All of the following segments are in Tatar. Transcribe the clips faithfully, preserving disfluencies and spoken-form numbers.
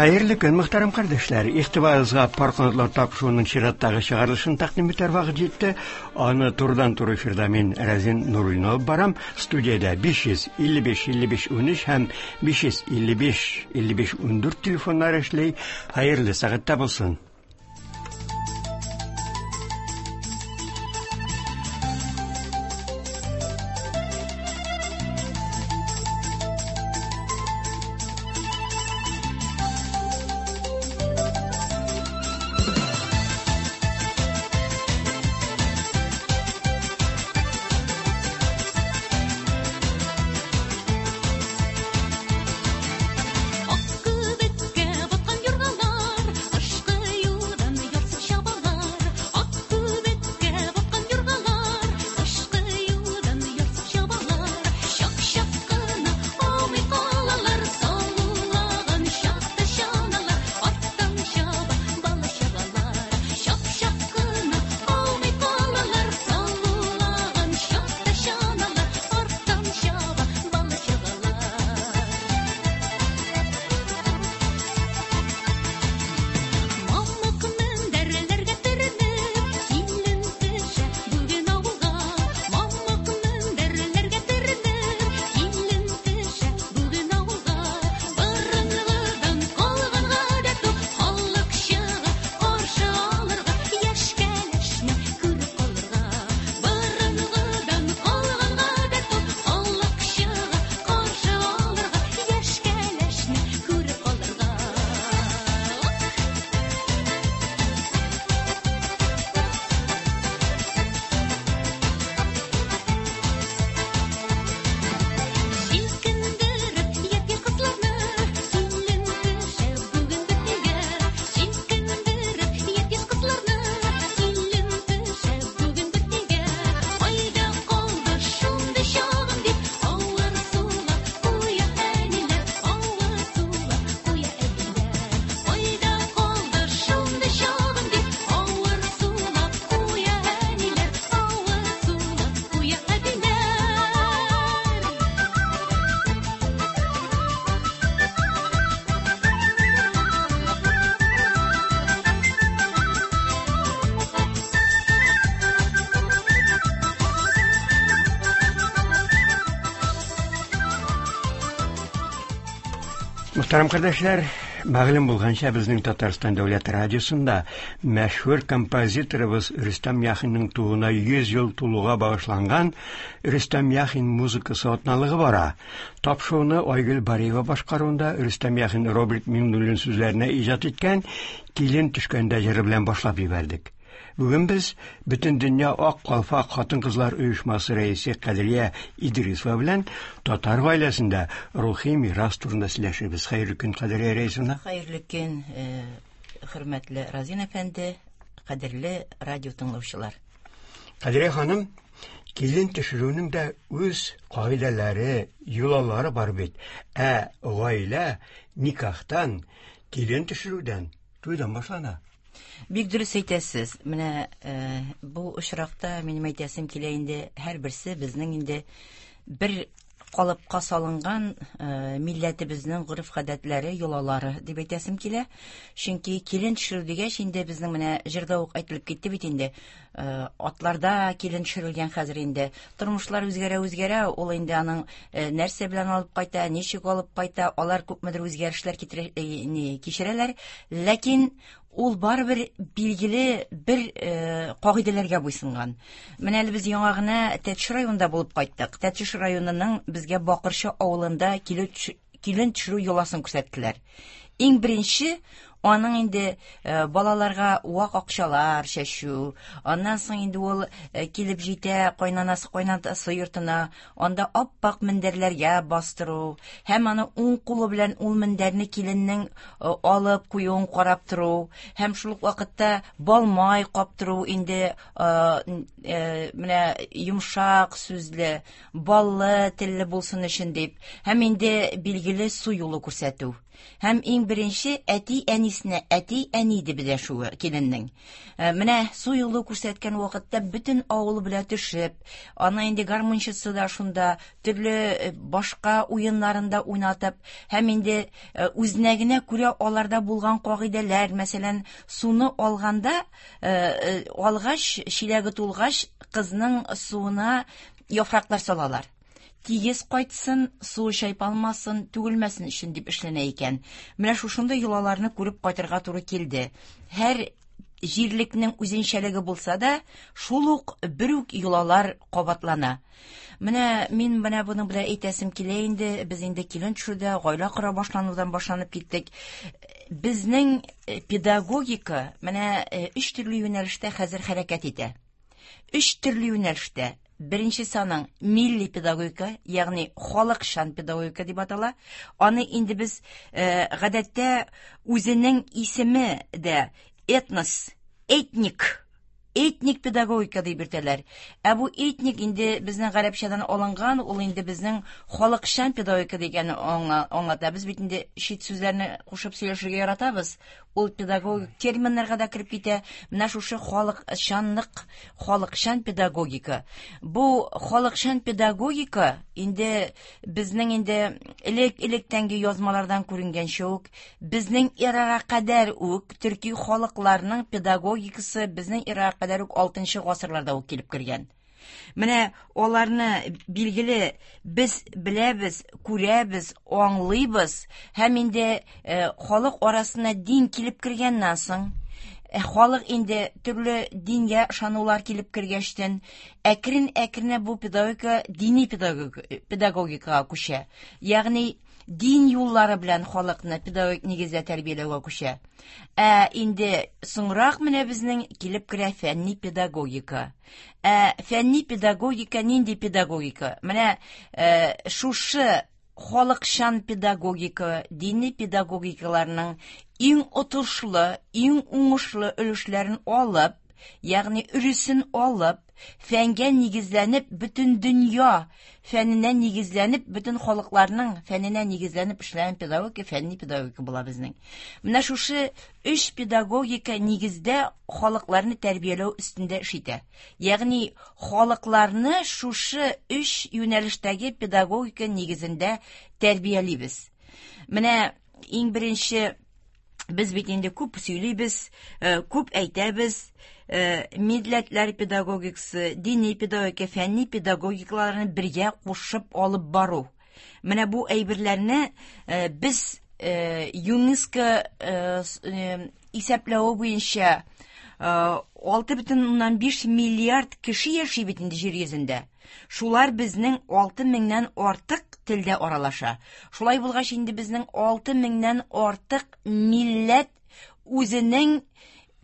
Хәерле көн, мөхтәрәм кардәшләр. Игътибарыгызга Пар канатлар тапшыруының чираттагы чыгарылышын тәкъдим итәр вакыт җитте. Аны турыдан-туры эфирда мин Разин Нуруллин алып барам. Студиядә биш йөз илле биш илле биш унөч һәм биш йөз илле биш илле биш ундүрт телефоннары эшли. Хәерле сәгатьтә булсын. Мөхтәрәм кардәшләр, мәгълүм булганча, безнең Татарстан дәүләт радиосында мәшһүр композиторыбыз Рөстәм Яхинның тууына йөз ел тулуга багышланган Рөстәм Яхин музыкасы атналыгы бара. Тапшыруны Айгөл Бариева башкаруында Рөстәм Яхин Роберт Миңнуллин сүзләренә иҗат иткән Килен төшкәндә җыры белән башлап җибәрдек. Бүген без Бөтендөнья Ак калфак хатын-кызлар оешмасы рәисе Кадрия Идрисова белән татар гаиләсендә рухи мирас турында сөйләшербез. Хәерле көн, Кадрия Рәисовна. Хәерле көн, хөрмәтле Разин әфәнде, кадерле радио тыңлаучылар. Кадрия ханым, килен төшерүнең дә үз кагыйдәләре, йолалары бар бит. Ә гаилә никахтан, килен төшерүдән, туйдан башлана. Бик дөрес әйтәсез. Менә бу очракта минем әйтәсем килә инде, һәрберсе безнең инде бер калыпка салынган милләтебезнең гореф-гадәтләре, йолалары дип әйтәсем килә. Чөнки килен төшерү дигәч инде безнең менә җырда ук әйтелеп китте бит инде. Атларда килен төшерелгән хәзер инде. Тормышлар үзгәрә-үзгәрә, ул инде аның нәрсә белән алып кайта, ничек алып кайта, алар күпмедер үзгәрешләр кичерәләр. Ләкин ул барыбер билгеле бер кагыйдәләргә буйсынган. Менә әле без яңа гына Тәтеш районында булып кайттык. Тәтеш районының безгә Бакырчы авылында килен төшерү йоласын күрсәттеләр. Иң беренче аның инде балаларга вак акчалар чәчү, аннан соң инде ул килеп җитә кайнанасы кайнатасы йортына, анда ап-ак мендәрләргә бастыру һәм аны уң кулы белән ул мендәрне киленнең алып куюын карап тору һәм шул ук вакытта балмай каптыру инде менә йомшак сүзле, баллы телле булсын өчен дип, һәм инде билгеле су юлы күрсәтү. Һәм иң беренче әти-әнисенә әти-әни дип дәшүе киленнең. Менә су юлы күрсәткән вакытта бөтен авыл белән төшеп, аны инде гармунчысы да шунда, төрле башка уеннарында уйнатып, һәм инде үзенә генә күрә аларда булган кагыйдәләр, мәсәлән, суны алганда, алгач, чиләге тулгач, кызның суына яфраклар салалар. Тигез кайтсын, суы чайпалмасын, түгелмәсен өчен дип эшләнә икән. Менә шушындый йолаларны күреп кайтырга туры килде. Һәр җирлекнең үзенчәлеге булса да, шул ук бер үк йолалар кабатлана. Менә мин менә буның белән әйтәсем килә инде, без инде килен төшүдә, гаилә кора башланудан башланып киттек. Безнең педагогика менә өч төрле юнәлештә хәзер хәрәкәт итә. Өч төрле юнәлештә. Беренче саның милли педагогика, ягъни халыкчан педагогика дип атала. Аны инде без э, гадәттә үзенең исеме дә этнос, этник, этник педагогика дип йөртәләр. Ә бу этник инде безнең гарәпчәдән алынган, ул инде безнең халыкчан педагогика дигәнне аңлата. Без бит инде чит сүзләрне кушып сөйләшергә яратабыз. Ул педагогик терминнарга да кереп китә. Менә шушы халыкчанлык, халыкчан педагогика. Бу халыкчан педагогика инде безнең инде элек-электәнге язмалардан күренгәнчә үк, безнең эрага кадәр үк төрки халыкларның педагогикасы безнең эрага кадәр үк алтынчы гасырларда ук килеп кергән. Менә аларны билгеле без беләбез, күрәбез, аңлыйбыз һәм инде э, халык арасына дин килеп кергәннән соң, э, халык инде төрле дингә ышанулар килеп кергәчтен, әкрен-әкренә бу педагогика дини педагогикага күчә. Ягъни дин юллары белән халыкны педагогик нигездә тәрбияләүгә күчә. Ә инде соңрак менә безнең килеп керә фәнни педагогика. Ә фәнни педагогика нинди педагогика? Менә э, шушы халыкчан педагогика, дини педагогикаларның иң отышлы, иң уңышлы өлешләрен алып, ягъни өресен алып, фәнгә нигезләнеп, бөтен дөнья фәненә нигезләнеп, бөтен халыкларның фәненә нигезләнеп эшләгән педагогика, фәнни педагогика була безнең. Менә шушы өч педагогика нигездә халыкларны тәрбияләү өстендә эш итә. Ягъни халыкларны шушы өч юнәлештәге педагогика нигезендә тәрбиялибез. Менә иң беренче без бит инде күп сөйлибез, күп әйтәбез, милләтләр педагогикасы, дини педагогика, фәнни педагогикаларны бергә кушып алып бару. Менә бу әйберләрне без ЮНЕСКО исәпләве буенча алты бөтен уннан биш миллиард кеше яши бит инде җир йөзендә. Шулар безнең алты меңнән артык телдә аралаша. Шулай булгач инде безнең алты меңнән артык милләт үзенең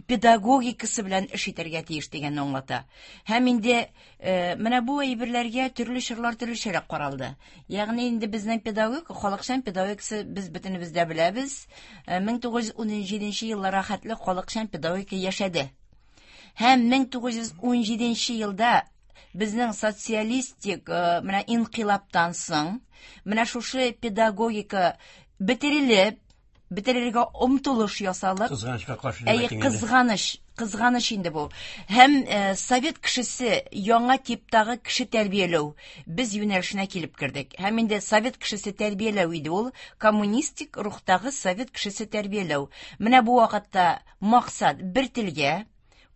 педагогикасы белән эш итәргә тиеш дигәнне аңлата. Һәм инде э, менә бу әйберләргә төрле чорлар төрлечәрәк каралды. Ягъни инде безнең педагогика, халыкчан педагогикасы без бөтенебез дә беләбез. мең тугыз йөз унҗиденче елларга хәтле халыкчан педагогика яшәде. Һәм мең тугыз йөз унҗиденче елда безнең социалистик менә инкыйлабтан соң менә шушы педагогика бетерелеп, бетерергә омтылыш ясалып, кызганычка каршы дип әйтең. Кызганыч, кызганыч инде бу. Һәм э, совет кешесе яңа типтагы кеше тәрбияләү без юнәлешенә килеп кердек. Һәм инде совет кешесе тәрбияләү иде ул, коммунистик рухтагы совет кешесе тәрбияләү. Менә бу вакытта максат бер телгә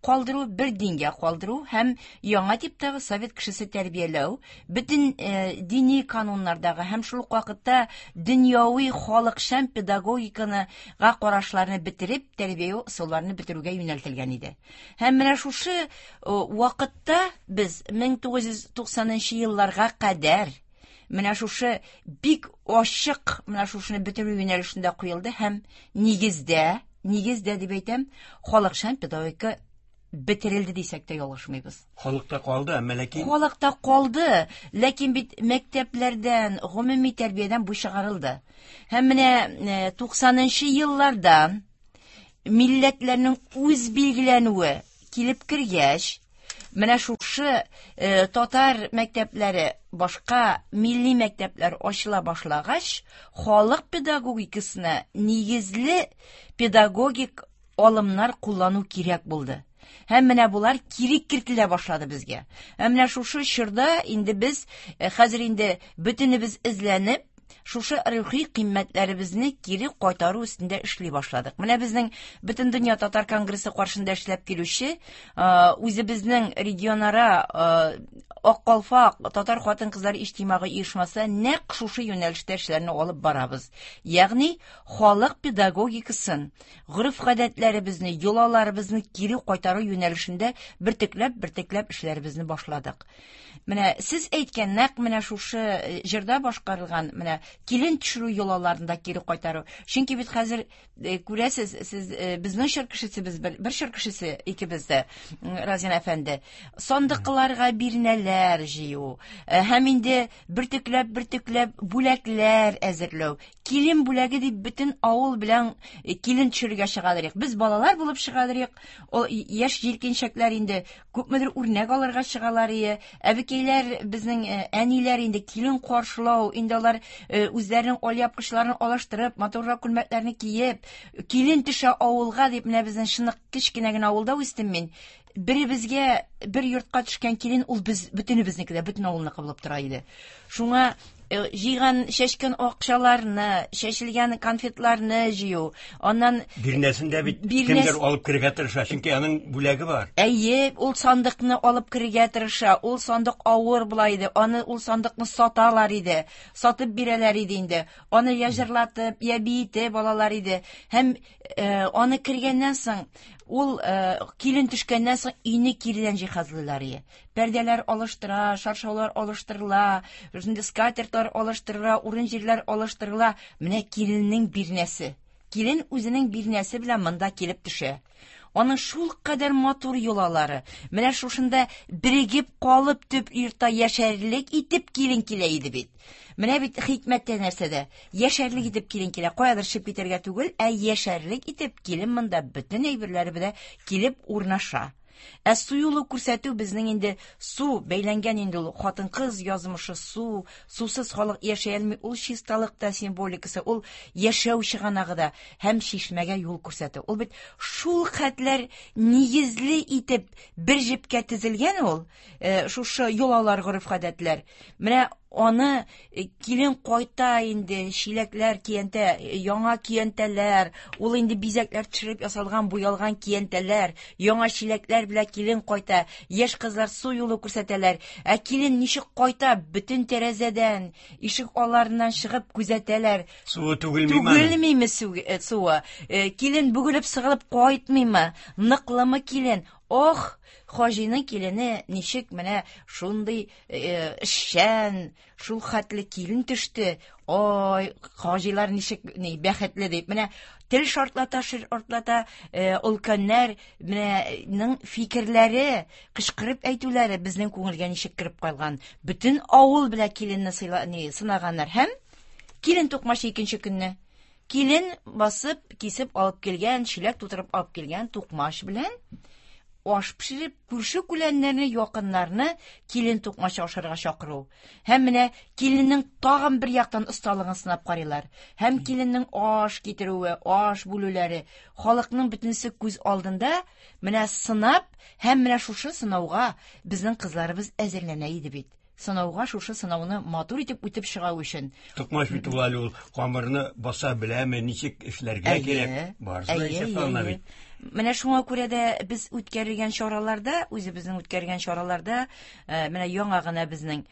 калдыру, бер дингә калдыру һәм яңа типтагы совет кешесе тәрбияләү, бөтен э, дини кануннардагы һәм шул ук вакытта дөньяви халыкчан педагогиканы га карашларны бетереп, тәрбия ысулларны бетерүгә юнәлтелгән иде. Һәм менә шушы э, вакытта без мең тугыз йөз туксанынчы елларга кадәр менә шушы бик ачык менә шушыны бетерү юнәлешендә куелды һәм нигездә, нигездә дип әйтәм, халыкчан педагогика бетерелде дисәк тә ялгышмыйбыз. Халыкта калды, әмма ләкин халыкта калды, ләкин бит мәктәпләрдән, гомуми тәрбиядән бу чыгарылды. Һәм менә туксанынчы елларда милләтләрнең үз билгеләнүе килеп кергәч, Менә шушы э, татар мәктәпләре, башка милли мәктәпләр ачыла башлагач, халык педагогикасына нигезле педагогик алымнар куллану кирәк булды. Һәм менә булар кире кертелә башлады безгә. Һәм менә шушы чорда инде без хәзер инде бөтенебез эзләнеп, шушы рухи кыйммәтләребезне кире кайтару өстендә эшли башладык. Менә безнең Бөтендөнья татар конгрессы каршында эшләп килүче, үзебезнең регионара Ак калфак татар хатын-кызлар иҗтимагый оешмасы нәкъ шушы юнәлештә эшләрне алып барабыз. Ягъни халык педагогикасын, гореф-гадәтләребезне, йолаларыбызны кире кайтару юнәлешендә бертекләп, бертекләп эшләребезне башладык. Менә сез әйткән нәкъ менә шушы җырда башкарылган менә килен төшерү йолаларын да кире кайтару. Чөнки бит хәзер күрәсез, сез безнең чор кешесе, без бер чор кешесе икебез дә, Разин әфәнде. Сандыкларга бирнәләр җыю, һәм инде бөртекләп, бөртекләп бүләкләр әзерләү. Килен бүләге дип бөтен авыл белән килен төшерергә чыгадырык. Без балалар булып чыгадырык. Ул яшь җилкенчәкләр инде күпмедер үрнәк алырга чыгалар ие. Әбекәйләр, безнең әниләр инде килен каршылау, инде алар үзләренең алъяпкычларын алыштырып, матуррак күлмәкләрне киеп, килен төшә авылга дип, менә безнең чынык кечкенә генә авылда үстем мин. Беребезгә бер йортка төшкән килен ул без бөтенебезнеке дә, бөтен авылныкы булып тора иде. Шуңа җыйган, чәчкән акчаларны, чәчелгән конфетларны җыю, аннан бирнәсен дә бит кемдер алып керергә тырыша, чөнки аның бүләге бар. Әйе, ул сандыкны алып керергә тырыша, ул сандык авыр була иде, аны ул сандыкны саталар иде, сатып бирәләр иде инде. Аны я җырлатып, я биетеп алалар иде. Һәм аны кергәннән соң, ул килен төшкәннән соң өйне киредән җиһазлыйлар иде. Пәрдәләр алыштыра, шаршаулар алыштырыла, скатертлар алыштырыла, урын-җирләр алыштырыла. Менә киленнең бирнәсе. Килен үзенең бирнәсе белән монда килеп төшә. Аның шул кадәр матур йолалары. Менә шушында берегеп калып төп йортта яшәрлек итеп килен килә иде бит. Менә бит хикмәттә нәрсәдә. Яшәрлек итеп килен килә. Каядыр чыгып китәргә түгел, ә яшәрлек итеп килен монда бөтен әйберләре белән килеп урнаша. Ә су юлы күрсәтү безнең инде су бәйләнгән инде ул хатын-кыз язмышы су, сусыз халык яшәй алмый, ул чисталык та символикасы, ул яшәү чыганагы да һәм чишмәгә юл күрсәтү. Ул бит шул хәтләр нигезле итеп бер җепкә тезелгән ул, шушы йолалар, гореф-гадәтләр. Менә аны килен кайта инде, чиләкләр, киянтә, яңа киянтәләр, ул инде бизәкләр төшереп ясалган, буялган киянтәләр, яңа чиләкләр белән килен кайта, яшь кызлар су юлы күрсәтәләр. Ә килен ничек кайта, бөтен тәрәзәдән, ишек алларыннан чыгып күзәтәләр. Суы түгелмиме? Түгелмиме суы? Килен бөгелеп сыгылып кайтмыймы? Ныклымы килен? Ох, Хаҗиның килене ничек менә шундый эшчән, шул хәтле килен төште. Ой, хаҗилар ничек ни бәхетле дип. Менә тел шартлата, шартлата, өлкәннәр менәнең фикерләре, кычкырып әйтүләре безнең күңелгә ничек кереп калган. Бөтен авыл белән киленне сынаганнар һәм килен тукмашы икенче көнне. Килен басып, кисеп алып килгән, чиләк тутырып алып килгән тукмаш белән аш пешереп, күрше күләннәрне, якыннарны килен тукмашы ашарга чакыру. Һәм менә киленнең тагын бер яктан осталыгын сынап карыйлар. Һәм киленнең аш китерүе, аш бүлүләре, халыкның бөтенесе күз алдында менә сынап, һәм менә шушы сынауга безнең кызларыбыз әзерләнә иде бит. Сынауга шушы сынауны матур итеп үтеп чыгу өчен. Тукмаш бит ул әле ул камырны баса беләме, ничек эшләргә кирәк, барысы да исәп алына бит. Менә шуңа күрә дә без үткәргән чараларда, үзебезнең үткәргән чараларда, менә яңа гына безнең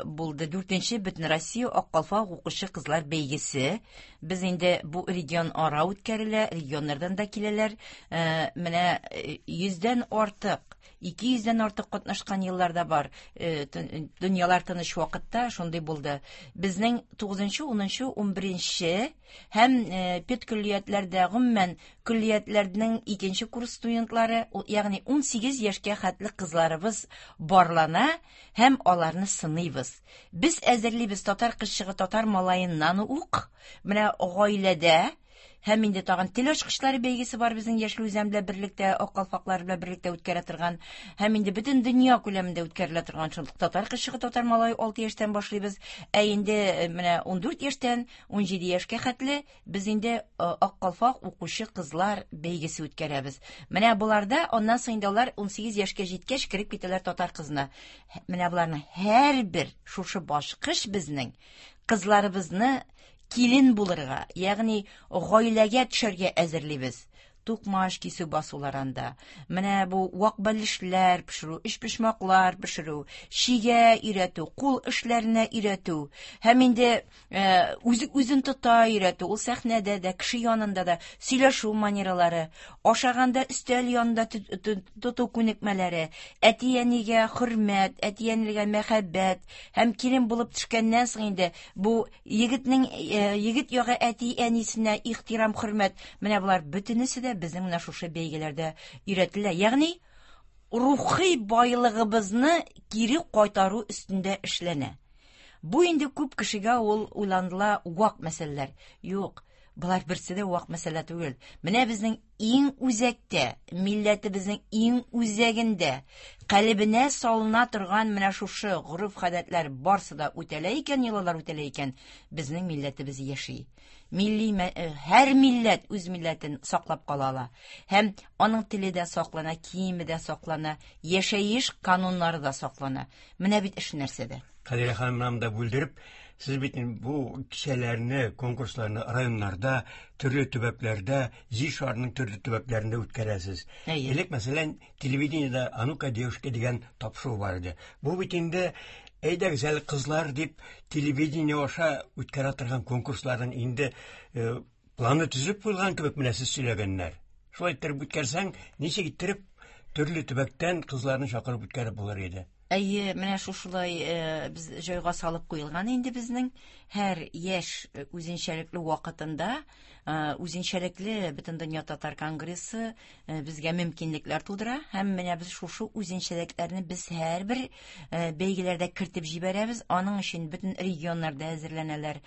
булды дүртенче Бөтенроссия Ак калфак укучы кызлар бәйгесе. Без инде бу регион ара үткәрелә, регионнардан да киләләр. Менә йөздән артык, ике йөздән артык катнашкан елларда бар. Дөньялар тыныч вакытта шундый булды. Безнең тугызынчы, унынчы, унберенче һәм педкөллиятләрдә, гомумән көллиятләрнең икенче курс студентлары, ягъни ун сигез яшькә хәтле кызларыбыз барлана һәм аларны сыныйбыз. Без әзерлибез татар кызчыгы, татар малаеннан ук, менә гаиләдә Һәм инде тагын тел ачкычлары бәйгесе бар безнең Яшел Үзән белән берлектә, Ак калфаклар белән берлектә үткәрә торган. Һәм инде бөтен дөнья күләмендә үткәрелә торган шул татар кызчыгы, татар малае алты яшьтән башлыйбыз. Ә инде менә ун дүрт яшьтән ун җиде яшькә хәтле без инде Ак калфак укучы кызлар бәйгесе үткәрәбез. Менә буларда аннан соң инде алар ун сигез яшькә җиткәч кереп китәләр татар кызына. Менә буларның һәрбер шушы башкыч безнең кызларыбызны килен булырга, ягъни гаиләгә төшәргә әзерлибез. Тукмаш кисү басуларында, менә бу вак бәлешләр пешерү, өчпочмаклар пешерү, чигә өйрәтү, кул эшләренә өйрәтү, һәм инде үзе үзен тота өйрәтү, ул сәхнәдә дә, кеше янында да сөйләшү манералары, ашаганда өстәл янында тоту күнекмәләре, әти-әнигә хөрмәт, әти-әнигә мәхәббәт, һәм килен булып төшкәннән соң инде бу егетнең егет ягы әти-әнисенә ихтирам, хөрмәт, менә болар бөтенесе дә безнең менә шушы бәйгеләрдә өйрәтелә. Ягъни рухи байлыгыбызны кире кайтару өстендә эшләнә. Бу инде күп кешегә ул уйланыла вак мәсьәләләр. Юк, болар берсе дә вак мәсьәлә түгел. Менә безнең иң үзәктә, милләтебезнең иң үзәгендә, калебенә салына торган менә шушы гореф-гадәтләр барсы да үтәлә икән, йолалар үтәлә икән, безнең милләтебез яши. Милли, һәр милләт үз милләтен саклап кала ала. Һәм аның теле дә саклана, киеме дә саклана, яшәеш кануннары да саклана. Менә бит эш нәрсәдә. Кадирә ханым, менә монда бүлдереп, сез бит бу кичәләрне, конкурсларны районнарда, төрле төбәкләрдә, җир шарының төрле төбәкләрендә үткәрәсез. Элек, мәсәлән, телевидениедә «А ну-ка, девушка» дигән тапшыру бар иде. Бу бит инде әйдәгез әле кызлар дип телевидение аша үткәрә торган конкурсларның инде планы төзеп куелган кебек менә сез сөйләгәннәр. Шулай иттереп үткәрсәң, ничек иттереп төрле төбәктән кызларны чакырып үткәреп булыр иде. Әйе, менә шушылай без җайга салып куелган инде безнең һәр яшь үзенчәлекле вакытында, үзенчәлекле Бөтендөнья татар конгрессы безгә мөмкинлекләр тудыра, һәм менә без шушы үзенчәлекләрне без һәрбер бәйгеләрдә кертеп җибәрәбез. Аның өчен бөтен регионнарда әзерләнәләр,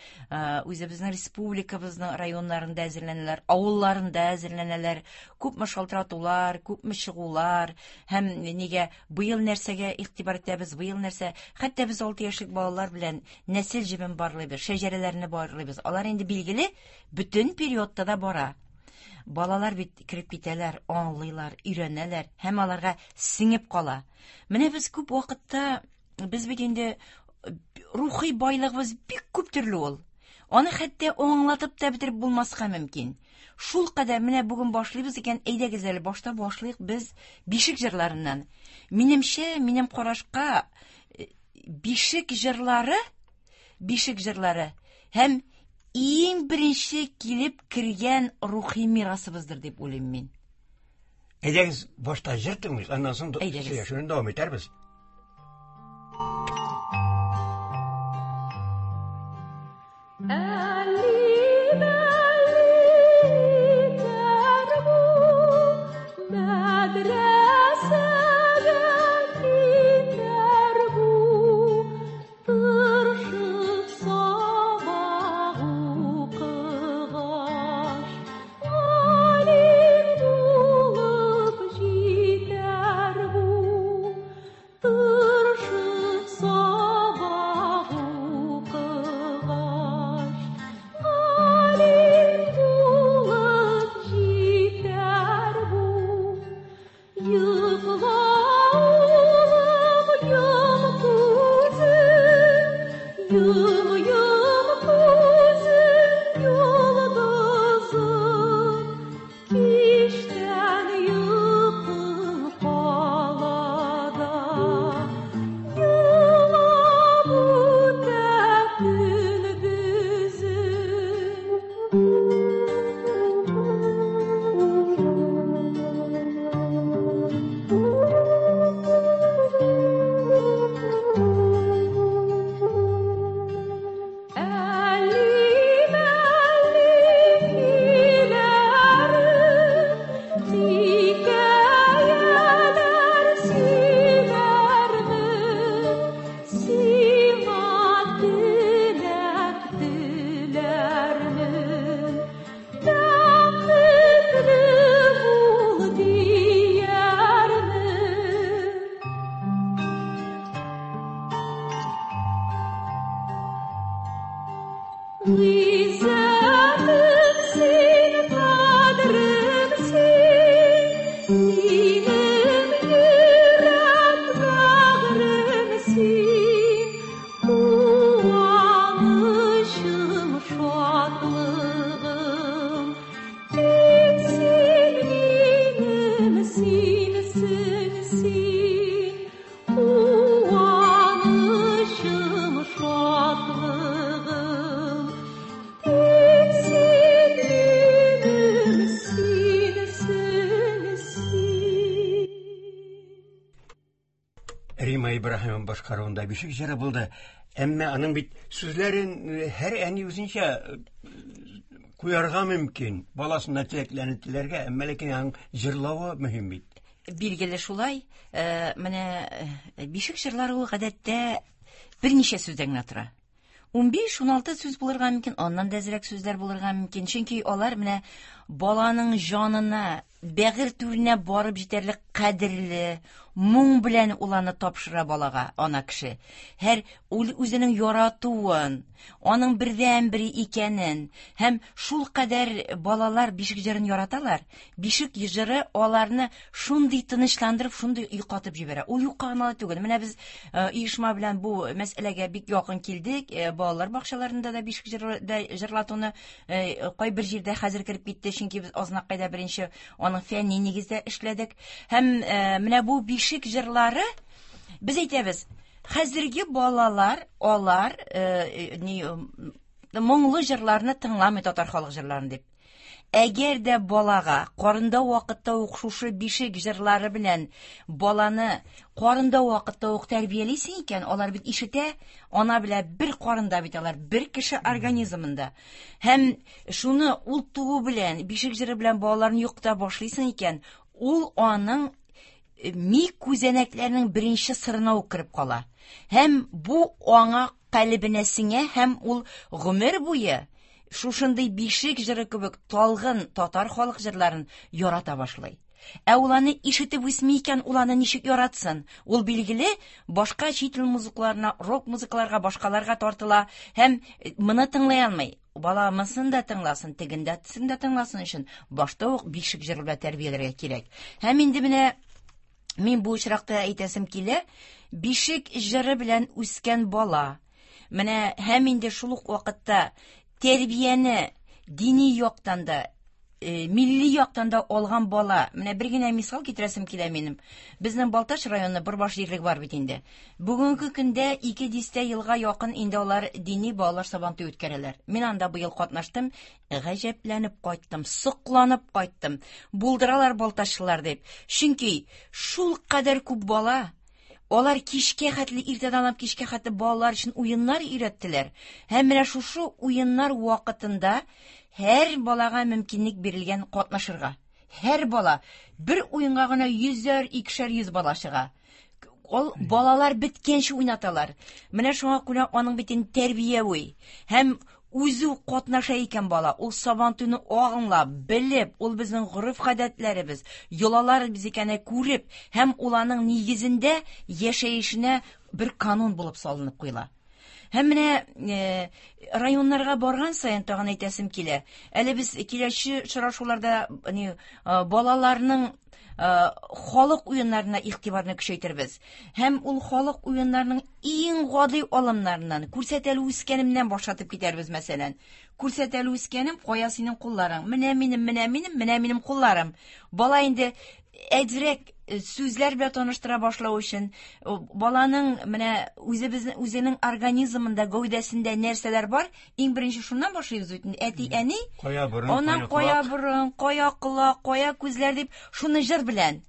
үзебезнең республикабызның районнарында әзерләнәләр, авылларында әзерләнәләр. Күпме шалтыратулар, күпме чыгулар, һәм нигә быел нәрсәгә игътибар итәбез, быел нәрсә. Хәтта без алты яшьлек балалар белән нәсел җебен барлыйбыз, шәҗәрәләрне барлыйбыз. Алар инде билгеле бөтен периодта да бара. Балалар бит кереп китәләр, аңлыйлар, өйрәнәләр һәм аларга сеңеп кала. Менә без күп вакытта, без бит инде рухи байлыгыбыз бик күп төрле ул. Аны хәтта аңлатып та бетереп булмаска мөмкин. Шул кадәр менә бүген башлыйбыз икән, әйдәгез әле башта башлыйк без бишек җырларыннан. Минемчә, минем карашка бишек җырлары, бишек җырлары һәм иң беренче килеп кергән рухи мирасыбыздыр дип уйлыйм мин. Әйдәгез башта җыр тыңлыйк, аннан соң сөйләшүне дәвам итәрбез. Tırşıp sabah okugaç. Гөлнара Ибраһимова башкаруында бишек җыры булды. Әмма аның бит сүзләрен һәр әни үзенчә куярга мөмкин. Баласына теләкләрен теләргә, әмма ләкин аның җырлавы мөһим бит. Билгеле шулай. Менә бишек җырлары ул гадәттә берничә сүздән генә тора. ун биш ун алты сүз булырга мөмкин, аннан да әзрәк сүзләр булырга мөмкин. Чөнки алар менә баланың җанына, бәгырь түренә барып җитәрлек кадерле, моң белән ул аны тапшыра балага, ана кеше. Һәр ул үзенең яратуын, аның бердәнбере икәнен һәм шул кадәр балалар бишек җырын яраталар. Бишек җыры аларны шундый тынычландырып, шундый йоклатып җибәрә. Ул юкка гына түгел. Менә без оешма белән бу мәсьәләгә бик якын килдек. Балалар бакчаларында да бишек җыры җырлатуны кайбер җирдә хәзер кереп китте, чөнки без Азнакайда беренче аның фәнни нигездә эшләдек. Һәм менә бу бишек җырлары без әйтәбез, хәзерге балалар алар ни моңлы җырларны тыңламый, татар халык җырларын дип. Әгәр дә балага карында вакытта ук шушы бишек җырлары белән баланы карында вакытта ук тәрбиялисең икән, алар бит ишетә, ана белән бер карында бит алар, бер кеше организмында. Һәм шуны ул туу белән, бишек җыры белән балаларны йоклата башлыйсың икән, ул аның ми күзәнәкләренең беренче сырына ук кереп кала. Һәм бу аңа калебенә сеңә, һәм ул гомер буе шушындый бишек җыры кебек талгын татар халык җырларын ярата башлый. Ә ул аны ишетеп үсми икән, ул аны ничек яратсын? Ул билгеле башка чит ил музыкларына, рок музыкларга, башкаларга тартыла һәм моны тыңлый алмый. Бала монысын да тыңласын, тегендәсен дә тыңласын өчен башта ук бишек җыры белән тәрбияләргә кирәк. Һәм инде менә мин бу очракта әйтәсем килә, бишек җыры белән үскән бала менә һәм инде шул ук вакытта тәрбияне дини яктан да, милли яктан да алган бала. Менә бер генә мисал китерәсем килә минем. Безнең Балтач районы Борбаш җирлеге бар бит инде. Бүгенге көндә ике дистә елга якын инде алар дини балалар сабантуй үткәрәләр. Мин анда быел катнаштым, гаҗәпләнеп кайттым, сокланып кайттым. Булдыралар балтачлылар дип. Чөнки шул кадәр күп бала, алар кичкә хәтле, иртәдән алып кичкә хәтле балалар өчен уеннар өйрәттеләр. Һәм менә шушы уеннар вакытында һәр балага мөмкинлек бирелгән катнашырга. Һәр бала бер уенга гына йөзәр, икешәр йөз бала чыга. Ул балалар беткәнче уйнаталар. Менә шуңа күрә аның бит инде тәрбияви һәм үзе катнаша икән бала. Ул сабантуйны аңлап, белеп, ул безнең гореф-гадәтләребез, йолаларыбыз икәнен күреп, һәм ул аның нигезендә яшәешенә бер канун булып салынып куела. Һәм менә районнарга барган саен тагын әйтәсем килә. Әле без киләче очрашуларда балаларның халык уеннарына игътибарны көчәйтербез. Һәм ул халык уеннарының иң гади алымнарыннан, күрсәтәле үскәнемнән башлатып китәрбез, мәсәлән. Күрсәтәле үскәнем, кая синең кулларың? Менә минем, менә минем, менә минем кулларым. Бала инде әзрәк сүзләр белән таныштыра башлау өчен баланың менә үзебезнең үзенең организмында, гәүдәсендә нәрсәләр бар, иң беренче шуннан башлыйбыз бит. Әти, әни, кая борын, аннан кая борын, кая колак, кая күзләр дип шуны җыр белән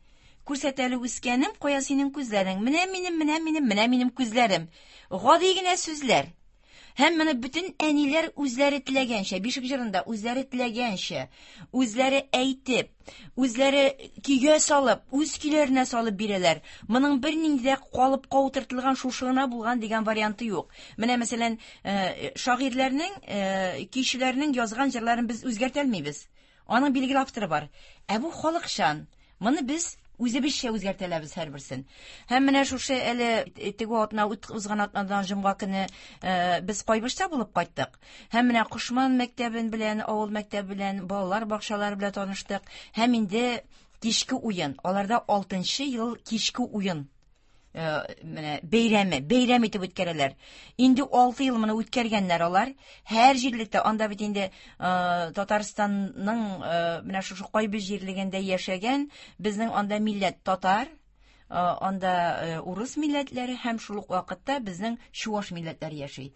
күрсәтәле үскәнем, кая синең күзләрең? Менә минем, менә минем, менә минем күзләрем. Гади генә сүзләр. Һәм моны бөтен әниләр үзләре теләгәнчә, бишек җырында үзләре теләгәнчә, үзләре әйтеп, үзләре көйгә салып, үз көйләренә салып бирәләр. Моның бернинди дә калыпка утыртылган шушы гына булган дигән варианты юк. Менә мәсәлән, шагыйрьләрнең, көйчеләрнең язган җырларын без үзгәртә алмыйбыз. Аның билгеле авторы бар. Ә бу халыкчан. Моны без үзебезчә үзгәртәләбез һәрберсен. Һәм менә шушы әле теге атна, узган атнадан җомга көне без Кайбычта булып кайттык. Һәм менә Кошман мәктәбен белән, авыл мәктәбе белән, балалар бакчалары белән таныштык. Һәм инде кичке уен. Аларда алтынчы ел кичке уен менә бәйрәме, бәйрәм итеп үткәрәләр. Инде алты ел моны үткәргәннәр алар. Һәр җирлектә, анда бит инде Татарстанның менә шушы Кайбыч җирлегендә яшәгән безнең анда милләт татар, анда урыс милләтләре һәм шул ук вакытта безнең чуаш милләтләре яши.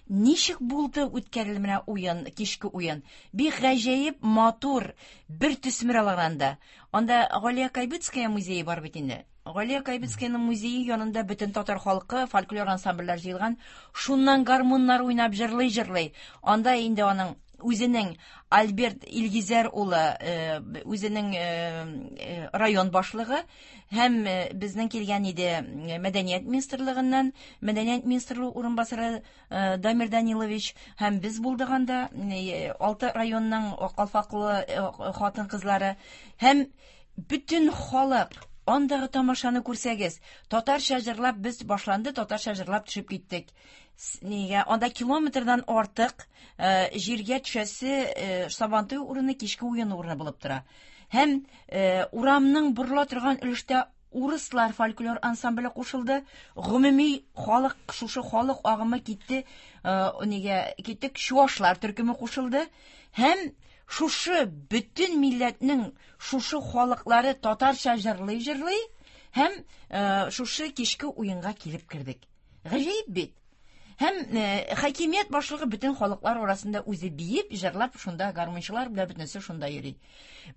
Ничек булды үткәрелде менә уен, кичке уен. Бик гаҗәеп матур бер төсмер алганда. Анда Галия Кайбицкая музее бар бит инде. Галия Кайбицкаяның музее янында бөтен татар халкы, фольклор ансамбльләр җыелган. Шуннан гармуннар уйнап җырлый-җырлый. Анда инде аның үзенең Альберт Илгизәр улы, үзенең район башлыгы һәм безнең килгән иде Мәдәният министрлыгыннан, Мәдәният министрлыгы урынбасары Дамир Данилович һәм без булдык анда, алты районның калфаклы хатын-кызлары һәм бөтен халык. Андагы тамашаны күрсәгез, татарча җырлап без башланды, татарча җырлап төшеп киттек. Нигә? Анда километрдан артык җиргә төшәсе Сабантуй урыны кичке уен урыны булып тора. Һәм урамның борыла торган өлештә урыслар фольклор ансамбле кушылды. Гомуми халык, шушы халык агымы китте, нигә киттек, чуашлар төркеме кушылды. Һәм шушы бөтен милләтнең шушы халыклары татарча җырлый-җырлый һәм шушы кичке уенга килеп кердек. Гаҗәеп бит. Һәм хакимият башлыгы бөтен халыклар арасында үзе биеп, җырлап, шунда гармунчылар белән бөтенесе шунда йөри.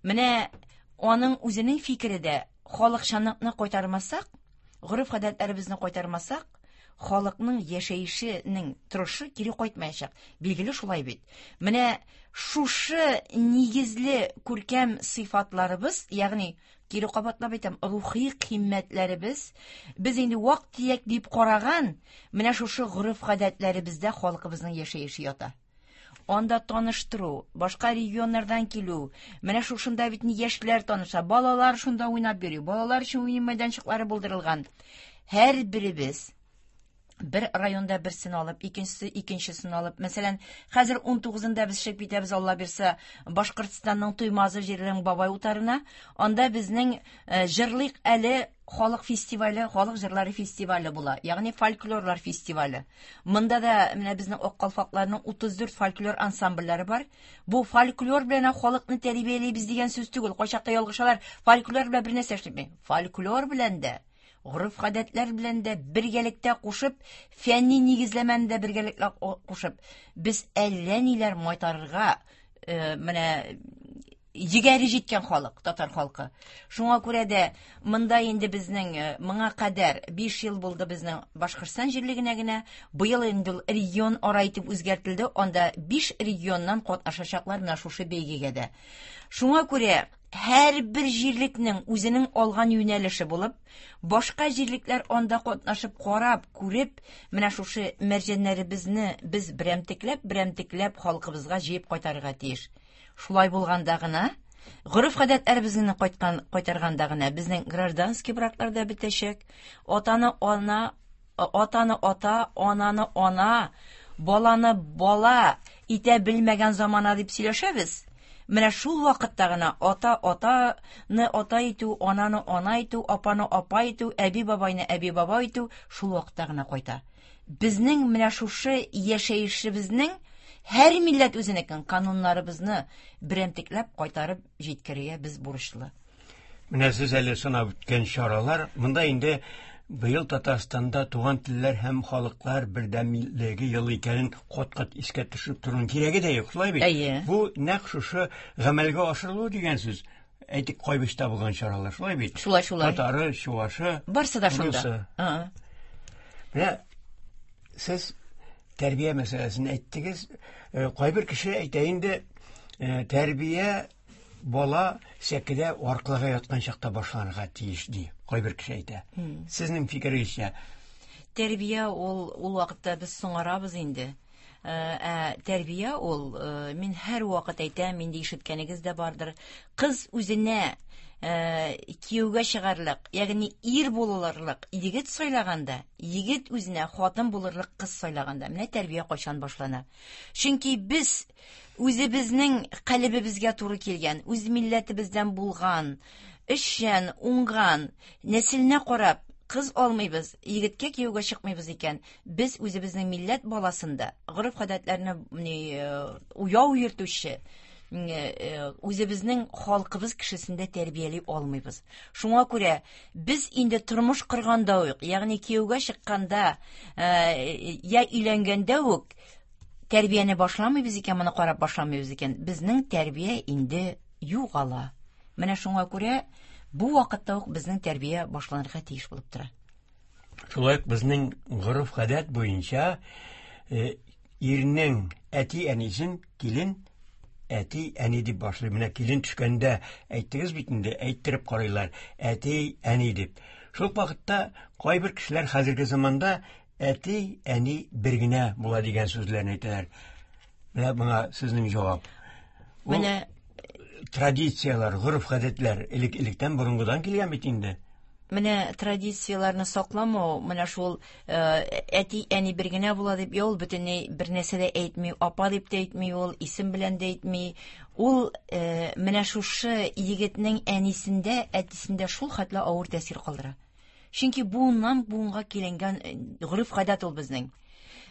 Менә аның үзенең фикере дә халыкчанлыкны кайтармасак, гореф-гадәтләребезне кайтармасак, халыкның яшәешенең торышы кире кайтмаячак. Билгеле шулай бит. Менә шушы нигезле күркәм сыйфатларыбыз, ягъни кире кабатлап әйтәм, рухи кыйммәтләребез, без инде вак-төяк дип караган, менә шушы гореф-гадәтләребездә халкыбызның яшәеше ята. Анда таныштыру, башка регионнардан килү, менә шушында бит яшьләр таныша, балалар шунда уйнап йөри, балалар өчен уен мәйданчыклары булдырылган. Һәр беребез бер районда берсен алып, икенчесе икенчесен алып, мәсәлән, хәзер ун тугызында без чыгып китәбез, Алла бирсә, Башкортстанның Туймазы җиренең Бабай утарына. Анда безнең җырлык әле халык фестивале, халык җырлары фестивале була, ягъни фольклорлар фестивале. Монда да менә безнең Ак калфакларның утыз дүрт фольклор ансамбльләре бар. Бу фольклор белән халыкны тәрбиялибез дигән сүз түгел. Кайчакта ялгышалар, фольклор белән бер нәрсә эшләми. Фольклор белән дә, гореф-гадәтләр белән дә бергәлектә кушып, фәнни нигезләмәне дә бергәлектә кушып, без әллә ниләр майтарырга, менә егәре җиткән халык, татар халкы. Шуңа күрә дә монда инде безнең моңа кадәр биш ел булды безнең Башкортстан җирлегенә генә, быел инде регион ара итеп үзгәртелде, анда биш регионнан катнашачаклар менә шушы бәйгегә дә. Шуңа күрә һәр бер җирлекнең үзенең алган юнәлеше булып, башка җирлекләр анда катнашып, карап, күреп, менә шушы мәрҗәннәребезне без берәмтекләп, берәмтекләп халкыбызга җыеп кайтарырга тиеш. Шулай булганда гына, гореф-гадәтләребезне кайткан, кайтарганда гына безнең гражданский браклар да бетәчәк. Атаны ана, атаны ата, ананы ана, баланы бала итә белмәгән замана дип сөйләшәбез. Менә шул вакытта гына ата атаны ата итү, ананы ана итү, апаны апа итү, әби бабайны әби баба итү шул вакытта гына кайта. Безнең менә шушы яшәешебезнең һәр милләт үзенекен кануннарыбызны берәмтекләп кайтарып җиткерергә без бурычлы. Менә сез әле санап үткән чаралар, монда инде быел Татарстанда туган телләр һәм халыклар бердәмлеге елы икәнен кат-кат искә төшереп торуның кирәге дә юк, шулай бит? Әйе. Бу нәкъ шушы гамәлгә ашырылу дигән сүз. Әйтик, Кайбычта булган чаралар, шулай бит? Шулай, шулай. Татары, чувашы, Барсы да шунда. русы. Ага. Менә сез тәрбия мәсьәләсен әйттегез. Кайбер кеше әйтә инде, тәрбия бала сәкедә аркылыга яткан чакта башланырга тиеш ди. Кайбер кеше әйтә. Сезнең фикерегезчә? Тәрбия ул, ул вакытта без соңарабыз инде. Ә тәрбия ул, мин һәр вакыт әйтәм, инде ишеткәнегез дә бардыр. Кыз үзенә кияүгә чыгарлык, ягъни ир булырлык егет сайлаганда, егет үзенә хатын булырлык кыз сайлаганда, менә тәрбия кайчан башлана. Чөнки без үзебезнең калебебезгә туры килгән, үз милләтебездән булган, эшчән, уңган, нәселенә карап кыз алмыйбыз, егеткә кияүгә чыкмыйбыз икән, без үзебезнең милләт баласында гореф-гадәтләрне уяу йөртүче, үзебезнең халкыбыз кешесендә тәрбияли алмыйбыз. Шуңа күрә без инде тормыш корганда ук, ягъни кияүгә чыкканда, я өйләнгәндә үк тәрбияне башламыйбыз икән, моны карап башламыйбыз икән, безнең тәрбия инде югала. Менә шуңа күрә бу вакытта ук безнең тәрбия башланырга тиеш булып тора. Шулай ук безнең гореф-гадәт буенча ирнең әти-әнисен килен әти-әни дип башлый. Менә килен төшкәндә әйттегез бит инде, әйттереп карыйлар, әти-әни дип. Шул вакытта кайбер кешеләр хәзерге заманда әти-әни бер генә була дигән сүзләрне әйтәләр. Менә моңа сезнең җавап. Менә традицияләр, гореф-гадәтләр элек-электән борынгыдан килгән бит инде. Менә традицияләрне сакламау, менә шул әти-әни бер генә була дип, ул бөтенләй бер нәрсә дә әйтми, апа дип тә әйтми, ул исем белән дә әйтми. Ул менә шушы егетнең әнисендә, әтисендә шул хәтле авыр тәэсир калдыра. Чөнки буыннан буынга киленгән гореф-гадәт ул безнең.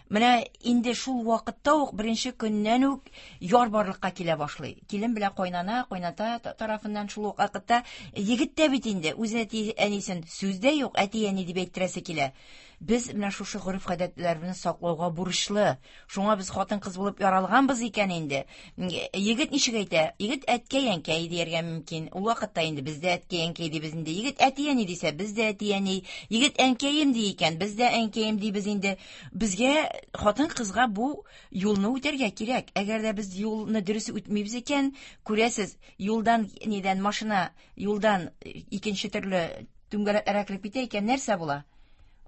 Менә инде шул вакытта ук беренче көннән үк яр барлыкка килә башлый. Килен белән кайнана, кайната тарафыннан шул ук вакытта егет тә бит инде үз әти-әнисен сүз дә юк, әти-әни дип әйттерәсе килә. Без менә шушы гореф-гадәтләрне саклауга бурычлы. Шуңа без хатын-кыз булып яралганбыз икән инде. Егет ничек әйтә? Егет әткәй-әнкәй дияргә мөмкин. Ул вакытта инде без дә әткәй-әнкәй дибез инде. Егет әти-әни дисә, без дә әти-әни. Егет әнкәем ди икән, без дә әнкәем дибез инде. Безгә хатын-кызга бу юлны үтәргә кирәк. Әгәр дә без юлны дөрес үтмибез икән, күрәсез, юлдан нидән машина юлдан икенче төрле түңгәләкләргә кереп китә икән, нәрсә була?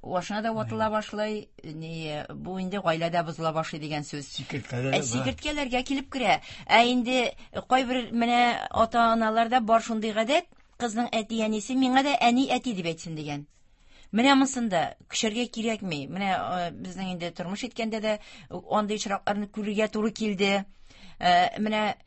Машина да ватыла башлый, ни, бу инде гаиләдә бозыла башлый дигән сүз. Сикерткәләр. Сикерткәләргә килеп керә. Ә инде кайбер менә ата-аналарда бар шундый гадәт, кызның әти-әнисе миңа да әни-әти дип әйтсен дигән. Менә монсында көчәргә кирәкми. Менә безнең инде тормыш иткәндә дә андый очракларны күрергә туры килде. Менә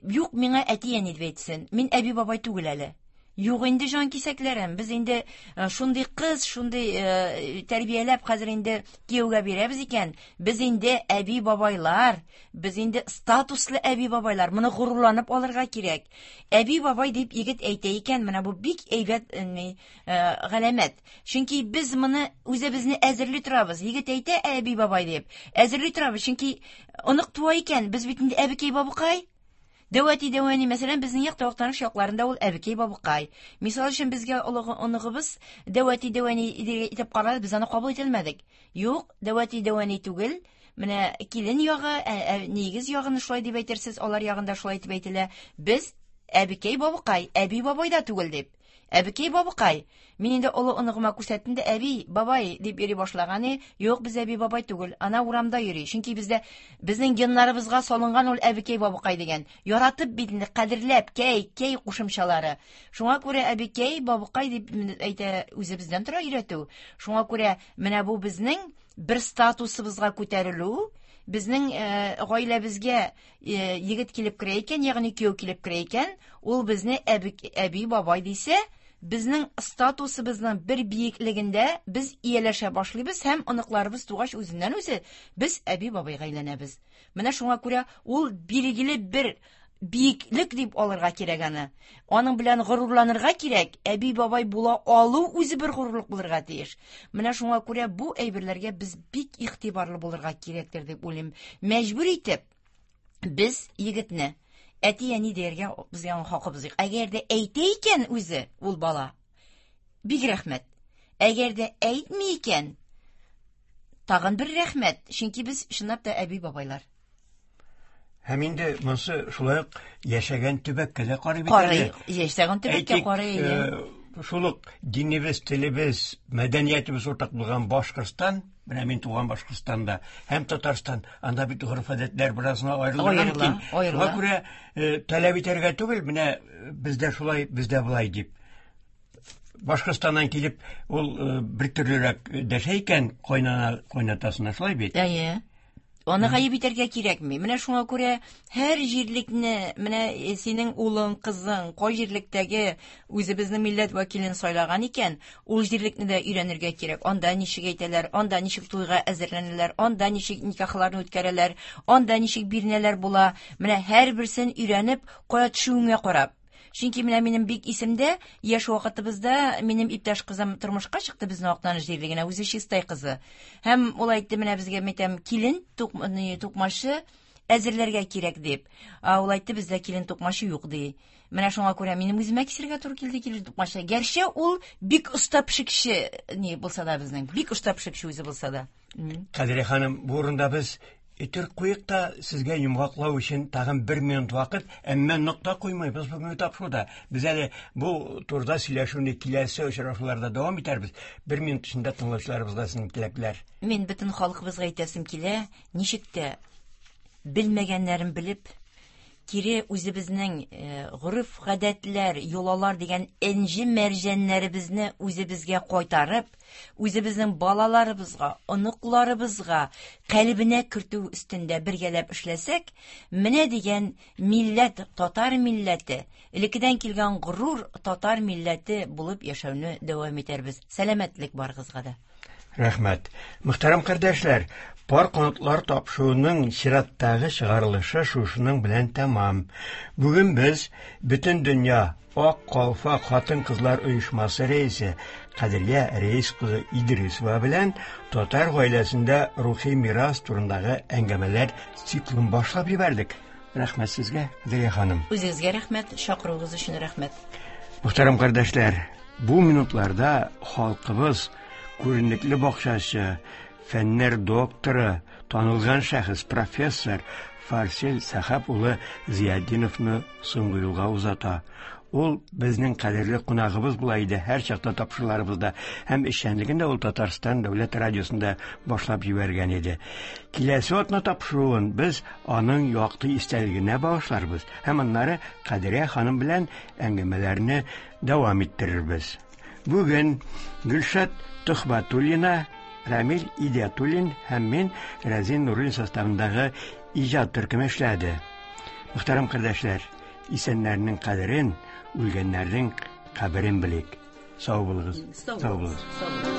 юк, миңа әти-әни дип әйтсен. Мин әби-бабай түгел әле. Юк инде җан кисәкләрем, без инде шундый кыз, шундый тәрбияләп хәзер инде кияүгә бирәбез икән, без инде әби-бабайлар, без инде статуслы әби-бабайлар, моны горурланып алырга кирәк. Әби-бабай дип егет әйтә икән, менә бу бик әйбәт галәмәт. Чөнки без моны үзебезне әзерли торабыз. Егет әйтә әби-бабай дип, әзерли торабыз, чөнки онык туа икән, без бит инде әбекәй-бабыкай. Дәүәти дәүәни, мәсәлән, безнең як Актаныш якларында ул әбекәй бабыкай. Мисал өчен безгә олы оныгыбыз дәүәти дәүәни итеп карады, без аны кабул ителмәдек. Юк, дәүәти дәүәни түгел. Менә килен ягы, нигез ягын шулай дип әйтерсез, алар ягында шулай дип әйтелә. Без әбекәй бабыкай, әби бабай да түгел дип. Әбекәй бабыкай. Мин инде олы оныгыма күрсәттем дә, әби, бабай дип йөри башлаган. Юк, без әби бабай түгел. Ана урамда йөри. Чөнки бездә безнең геннарыбызга салынган ул әбекәй бабыкай дигән. Яратып бит инде, кадерләп, кәй, кәй кушымчалары. Шуңа күрә әбекәй бабыкай дип әйтә, үзебездән тора өйрәтү. Шуңа күрә менә бу безнең бер статусыбызга күтәрелү, безнең гаиләбезгә егет килеп керә икән, ягъни кияү килеп керә икән, ул безне әби бабай дисә, безнең статусыбызның бер биеклегендә без ияләшә башлыйбыз һәм оныкларыбыз тугач үзеннән үзе без әби бабайга әйләнәбез. Менә шуңа күрә ул билгеле бер биеклек дип алырга кирәк аны. Аның белән горурланырга кирәк. Әби бабай була алу үзе бер горурлык булырга тиеш. Менә шуңа күрә бу әйберләргә без бик игътибарлы булырга кирәктер дип уйлыйм. Мәҗбүр итеп без егетне әти-әни дияргә безгә аның хакыбыз юк. Әгәр дә әйтә икән үзе ул бала, бик рәхмәт. Әгәр дә әйтми икән, тагын бер рәхмәт. Чөнки без чынлап та әби бабайлар. Һәм инде монсы шулай ук яшәгән төбәккә дә карый бит. Карый, яшәгән төбәккә карый. Шул ук динебез, телебез, мәдәниятебез уртак булган Башкортстан, менә мин туган Башкортстанда һәм Татарстан, анда бит гореф-гадәтләр беразына аерыла мөмкин. Шуңа күрә таләп итәргә түгел, менә бездә шулай, бездә болай дип. Башкортстаннан килеп, ул бер төрлерәк дәшә икән кайнана, кайнатасына, шулай бит? Әйе. Аны гаеп итәргә кирәкми. Менә шуңа күрә һәр җирлекне, менә синең улың, кызың кай җирлектәге үзебезнең милләт вәкилен сайлаган икән, ул җирлекне дә өйрәнергә кирәк. Анда ничек әйтәләр, анда ничек туйга әзерләнәләр, анда ничек никахларны үткәрәләр, анда ничек бирнәләр була. Менә һәрберсен өйрәнеп, кая төшүеңә карап. Чөнки менә минем бик исемдә, яшь вакытыбызда минем иптәш кызым тормышка чыкты безнең Актаныш җирлегенә, үзе Чистай кызы. Һәм ул әйтте, менә безгә әйтәм, килен тукмашы әзерләргә кирәк дип. Ул әйтте, бездә килен тукмашы юк ди. Менә шуңа күрә минем үземә кисергә туры килде килен тукмашы. Гәрчә ул бик оста пешекче ни булса да безнең, бик оста пешекче үзе булса да. Кадрия ханым, бу урында без Итер куйык та сезгә йомгаклау өчен тагын бер минут вакыт, әмма нокта куймыйбыз бүгенге тапшыруда. Без әле бу турыда сөйләшүне киләсе очрашуларда дәвам итәрбез. Бер минут эчендә тыңлаучыларыбызга сезнең теләкләр. Мин бөтен халкыбызга әйтәсем килә, ничек тә белмәгәннәрен белеп, кире үзебезнең гореф-гадәтләр, йолалар дигән энҗе мәрҗәннәребезне үзебезгә кайтарып, үзебезнең балаларыбызга, оныкларыбызга калебенә кертү өстендә бергәләп эшләсәк, менә дигән милләт, татар милләте, элеккедән килгән горур татар милләте булып яшәүне дәвам итәрбез. Сәламәтлек барыгызга да. Рәхмәт. Мөхтәрәм кардәшләр, пар канатлар тапшыруының чираттагы чыгарылышы шушының белән тәмам. Бүген без бөтен дөнья Ак калфак хатын-кызлар оешмасы рәисе Кадрия Рәис кызы Идрисова белән татар гаиләсендә рухи мирас турындагы әңгәмәләр циклын башлап җибәрдек. Рәхмәт сезгә, Кадрия ханым. Үзегезгә рәхмәт, чакыруыгыз өчен рәхмәт. Мөхтәрәм кардәшләр, бу минутларда халкыбыз күренекле бакчачы, фәннәр докторы, танылган шәхес профессор Фарсел Сәхәп улы Зиятдиновны соңгы юлга озата. Ул безнең кадерле кунагыбыз була иде һәр чакта тапшыруларыбызда һәм эшчәнлеген дә ул Татарстан дәүләт радиосында башлап җибәргән иде. Киләсе атна тапшыруын без аның якты истәлегенә багышларбыз һәм аннары Кадрия ханым белән әңгәмәләрне дәвам иттерербез. Бүген Гөлшат Төхбәтуллина, Рамил Идиатуллин һәм мин Рәзин Нуруллин составындагы иҗат төркеме эшләде. Мөхтәрәм кардәшләр, исәннәрнең кадерен, үлгәннәрнең каберен белик. Сау булыгыз. Сау булыгыз.